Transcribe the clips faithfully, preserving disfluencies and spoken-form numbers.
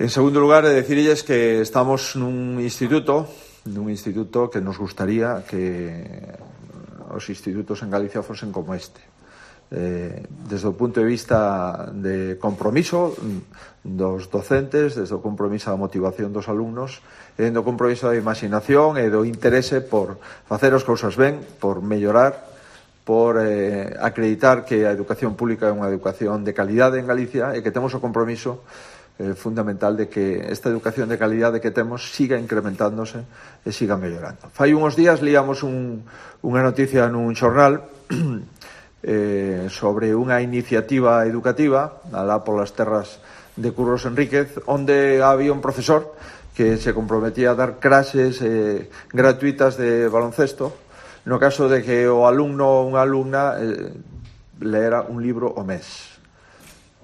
En segundo lugar, de decirles que estamos nun instituto, nun instituto que nos gustaría que os institutos en Galicia fosen como este. Eh, desde o punto de vista de compromiso dos docentes, desde o compromiso da motivación dos alumnos, e do compromiso da imaginación e do interese por facer as cousas ben, por mellorar, por eh, acreditar que a educación pública é unha educación de calidade en Galicia e que temos o compromiso eh, fundamental de que esta educación de calidade que temos siga incrementándose e siga mellorando. Fai uns días líamos un, unha noticia nun xornal eh, sobre unha iniciativa educativa alá polas terras de Curros Enríquez, onde había un profesor que se comprometía a dar clases eh, gratuitas de baloncesto no caso de que o alumno ou unha alumna eh, leera un libro ao mes.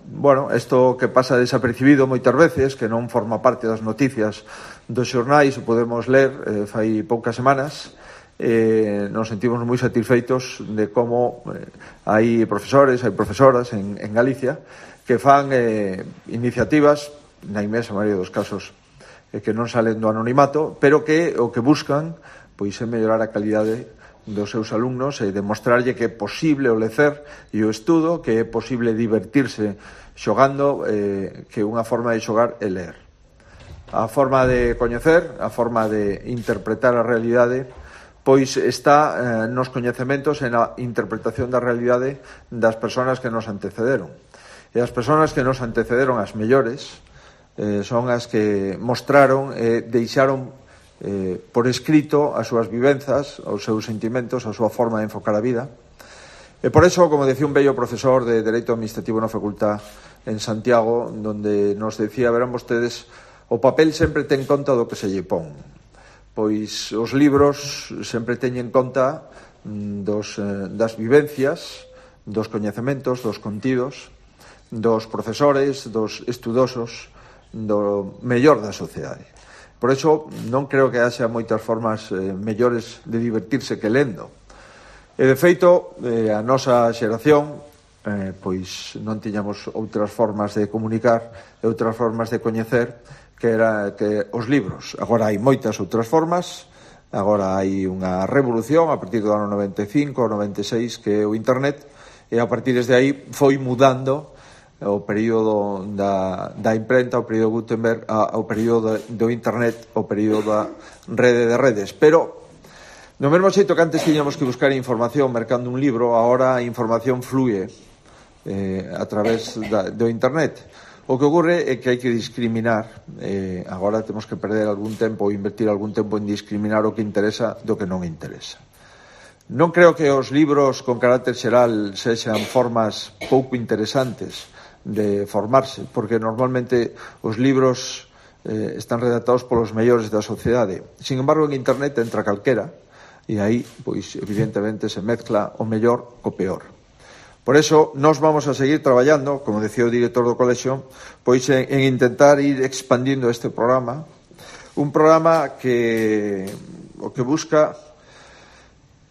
Bueno, isto que pasa desapercibido moitas veces, que non forma parte das noticias dos xornais, o podemos ler eh, fai poucas semanas, eh, nos sentimos moi satisfeitos de como eh, hai profesores, hai profesoras en, en Galicia que fan eh, iniciativas, na inmensa maioría dos casos eh, que non salen do anonimato, pero que o que buscan pois é mellorar a calidade dos seus alumnos e demostrarlle que é posible o lecer e o estudo, que é posible divertirse xogando, eh, que unha forma de xogar é ler. A forma de coñecer, a forma de interpretar a realidade, pois está eh, nos coñecementos e na interpretación da realidade das persoas que nos antecederon. E as persoas que nos antecederon, as mellores, eh, son as que mostraron e eh, deixaron eh, por escrito as súas vivenzas, os seus sentimentos, a súa forma de enfocar a vida. E por eso, como decía un bello profesor de Dereito Administrativo na Facultad en Santiago, donde nos decía, verán vostedes, o papel sempre ten conta do que se lle pon. Pois os libros sempre teñen conta dos, eh, das vivencias, dos coñecementos, dos contidos, dos profesores, dos estudosos, do mellor da sociedade. Por iso non creo que haxa moitas formas eh, mellores de divertirse que lendo. E de feito, eh, a nosa xeración eh, pois non tiñamos outras formas de comunicar e outras formas de coñecer que era que os libros. Agora hai moitas outras formas, agora hai unha revolución a partir do ano noventa e cinco, noventa e seis, que é o internet, e a partir desde aí foi mudando o período da, da imprenta, o período Gutenberg, a, o período do internet, o período da rede de redes. Pero no mesmo xeito que antes tiñamos que buscar información mercando un libro, agora a información flúe eh, a través da, do internet. O que ocorre é que hai que discriminar, eh, agora temos que perder algún tempo ou invertir algún tempo en discriminar o que interesa do que non interesa. Non creo que os libros con carácter xeral sexan formas pouco interesantes de formarse, porque normalmente os libros eh, están redactados polos mellores da sociedade. Sin embargo, en internet entra calquera, e aí, pois, evidentemente, se mezcla o mellor co peor. Por eso, nós vamos a seguir traballando, como decía o director do colexio, pois en, en intentar ir expandindo este programa, un programa que o que busca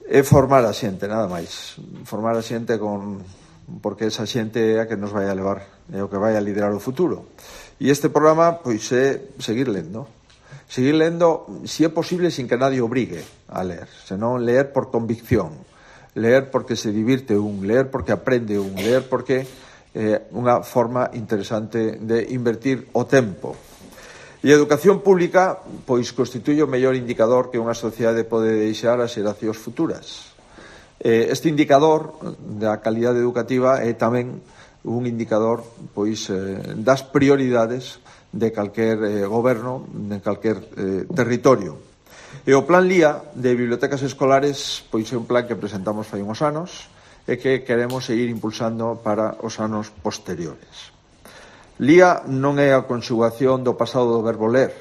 é formar a xente, nada máis. Formar a xente con... porque esa xente é a que nos vai a levar, é o que vai a liderar o futuro. E este programa, pois, é seguir lendo. Seguir lendo, se é posible, sin que nadie obrigue a ler, senón ler por convicción, ler porque se divirte un, ler porque aprende un, ler porque é eh, unha forma interesante de invertir o tempo. E a educación pública, pois, constituye o mellor indicador que unha sociedade pode deixar ás xeracións futuras. Este indicador da calidade educativa é tamén un indicador pois das prioridades de calquer eh, goberno, de calquer eh, territorio. E o Plan L I A de bibliotecas escolares pois é un plan que presentamos fai uns anos e que queremos seguir impulsando para os anos posteriores. L I A non é a conxugación do pasado do verbo ler,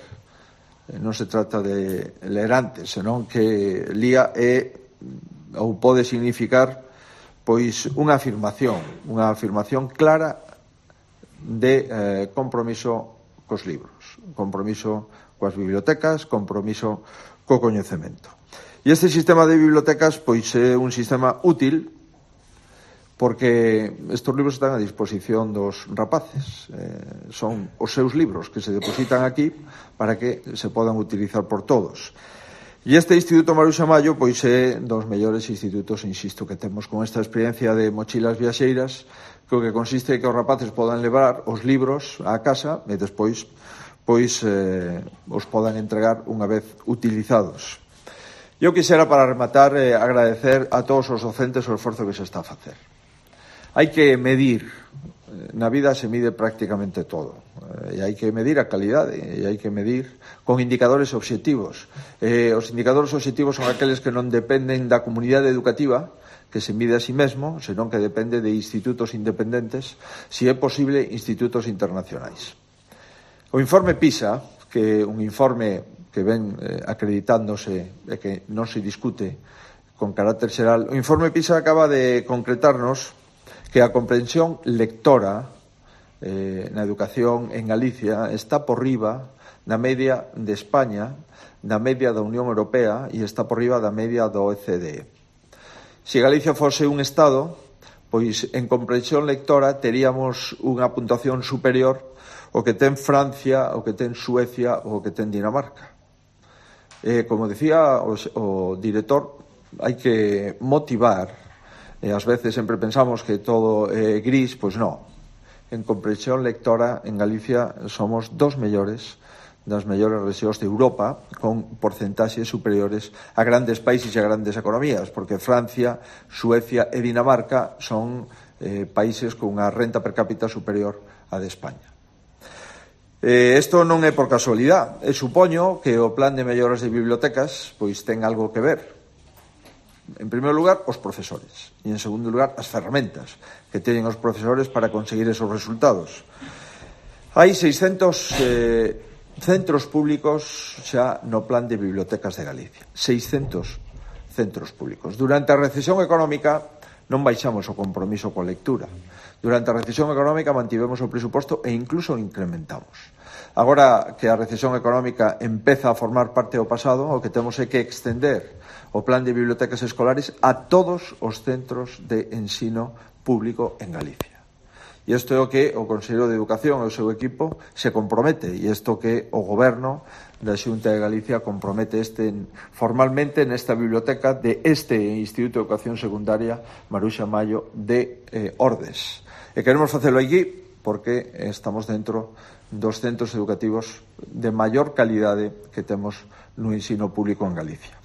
non se trata de ler antes, senón que L I A é ou pode significar pois unha afirmación, unha afirmación clara de eh, compromiso cos libros, compromiso coas bibliotecas, compromiso co coñecemento. E este sistema de bibliotecas pois é un sistema útil porque estes libros están a disposición dos rapaces. Eh, son os seus libros que se depositan aquí para que se podan utilizar por todos. E este Instituto Maruxa Mallo pois é dos mellores institutos, insisto, que temos con esta experiencia de mochilas viaxeiras, que o que consiste é que os rapaces podan levar os libros á casa e despois pois eh, os podan entregar unha vez utilizados. Eu quixera, para rematar, eh, agradecer a todos os docentes o esforzo que se está a facer. Hai que medir, na vida se mide prácticamente todo, e hai que medir a calidade, e hai que medir con indicadores obxectivos. Eh, os indicadores obxectivos son aqueles que non dependen da comunidade educativa, que se mide a sí mesmo, senón que depende de institutos independentes, se é posible, institutos internacionais. O informe PISA, que é un informe que ven eh, acreditándose e que non se discute con carácter xeral, o informe PISA acaba de concretarnos que a comprensión lectora eh, na educación en Galicia está por riba da media de España, da media da Unión Europea e está por riba da media do O E C D. Se Galicia fose un Estado, pois en comprensión lectora teríamos unha puntuación superior ao que ten Francia, ao que ten Suecia ou ao que ten Dinamarca. Eh, como decía o, o director, hai que motivar. E ás veces sempre pensamos que todo é gris, pois non. En comprensión lectora, en Galicia somos dos mellores das mellores rexións de Europa, con porcentaxes superiores a grandes países e a grandes economías, porque Francia, Suecia e Dinamarca son eh, países con unha renta per cápita superior á de España. Eh, isto non é por casualidade. E supoño que o plan de melloras de bibliotecas pois ten algo que ver. En primeiro lugar, os profesores. E, en segundo lugar, as ferramentas que teñen os profesores para conseguir esos resultados. Hai seiscentos eh, centros públicos xa no plan de bibliotecas de Galicia. seiscentos centros públicos. Durante a recesión económica non baixamos o compromiso coa lectura. Durante a recesión económica mantivemos o presuposto e incluso o incrementamos. Agora que a recesión económica empeza a formar parte do pasado, o que temos é que extender o plan de bibliotecas escolares a todos os centros de ensino público en Galicia. E isto é o que o Conselleiro de Educación e o seu equipo se compromete, e isto que o Goberno da Xunta de Galicia compromete este formalmente nesta biblioteca de este Instituto de Educación Secundaria Maruxa Mallo de eh, Ordes. E queremos facelo aquí porque estamos dentro dos centros educativos de maior calidade que temos no ensino público en Galicia.